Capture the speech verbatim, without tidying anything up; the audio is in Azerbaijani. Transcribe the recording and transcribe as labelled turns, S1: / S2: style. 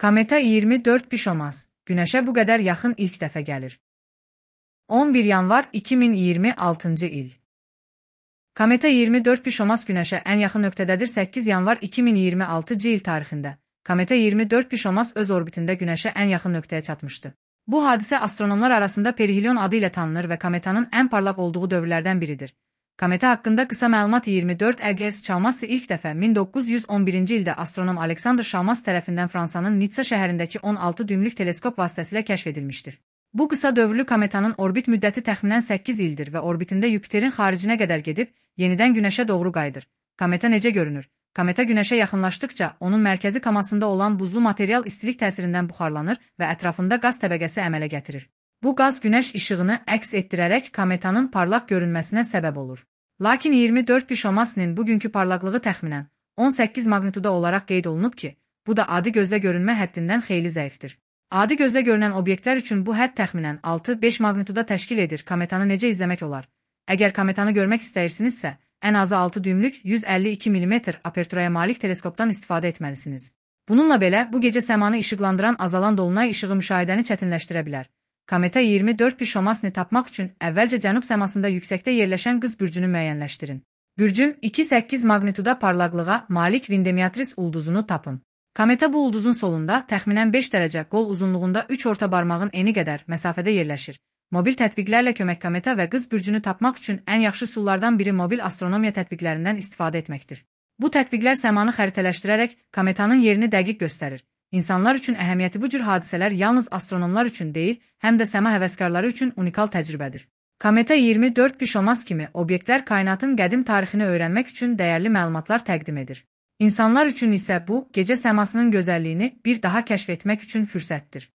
S1: Kometa iyirmi dörd Pişomaz, Günəşə bu qədər yaxın ilk dəfə gəlir. on bir yanvar iki min iyirmi altıncı il. Kometa iyirmi dörd Pişomaz Günəşə ən yaxın nöqtədədir səkkiz yanvar iki min iyirmi altıncı il tarixində. Kometa iyirmi dörd Pişomaz öz orbitində Günəşə ən yaxın nöqtəyə çatmışdı. Bu hadisə astronomlar arasında perihelion adı ilə tanınır və kometanın ən parlaq olduğu dövrlərdən biridir. Kometa haqqında qısa məlumat iyirmi dörd E G S Chalmazsı ilk dəfə min doqquz yüz on birinci ildə astronom Aleksandr Chalmaz tərəfindən Fransanın Nitsa şəhərindəki on altı düymlük teleskop vasitəsilə kəşf edilmişdir. Bu qısa dövrlü kometanın orbit müddəti təxminən səkkiz ildir və orbitində Yupiterin xaricinə qədər gedib, yenidən Günəşə doğru qayıdır. Kometa necə görünür? Kometa Günəşə yaxınlaşdıqca onun mərkəzi kamasında olan buzlu material istilik təsirindən buxarlanır və ətrafında qaz təbəqəsi əmələ gətirir. Bu qaz Günəş işığını əks etdirərək kometanın parlaq görünməsinə səbəb olur. Lakin iyirmi dörd Pişomaz'nin bugünkü parlaqlığı təxminən on səkkiz magnituda olaraq qeyd olunub ki, bu da adi gözlə görünmə həddindən xeyli zəifdir. Adi gözlə görünən obyektlər üçün bu hədd təxminən altı beş magnituda təşkil edir. Kometanı necə izləmək olar? Əgər kometanı görmək istəyirsinizsə, ən azı altı düymlük yüz əlli iki millimetr aperturaya malik teleskopdan istifadə etməlisiniz. Bununla belə, bu gecə səmanı işıqlandıran azalan dolunay işığı müşahidəni çətinləşdirə bilər. Kometa iyirmi dörd Pişomaz'ni tapmaq üçün əvvəlcə cənub səmasında yüksəkdə yerləşən qız bürcünü müəyyənləşdirin. Bürcün iki səkkiz magnituda parlaqlığa malik Vendemiatris ulduzunu tapın. Kometa bu ulduzun solunda təxminən beş dərəcə qol uzunluğunda üç orta barmağın eni qədər məsafədə yerləşir. Mobil tətbiqlərlə kömək kometa və qız bürcünü tapmaq üçün ən yaxşı üsullardan biri mobil astronomiya tətbiqlərindən istifadə etməkdir. Bu tətbiqlər səmanı xəritələşdirərək kometanın yerini dəqiq göstərir. İnsanlar üçün əhəmiyyəti bu cür hadisələr yalnız astronomlar üçün deyil, həm də səma həvəskarları üçün unikal təcrübədir. Kometa iyirmi dörd Pişomaz kimi obyektlər kainatın qədim tarixini öyrənmək üçün dəyərli məlumatlar təqdim edir. İnsanlar üçün isə bu, gecə səmasının gözəlliyini bir daha kəşf etmək üçün fürsətdir.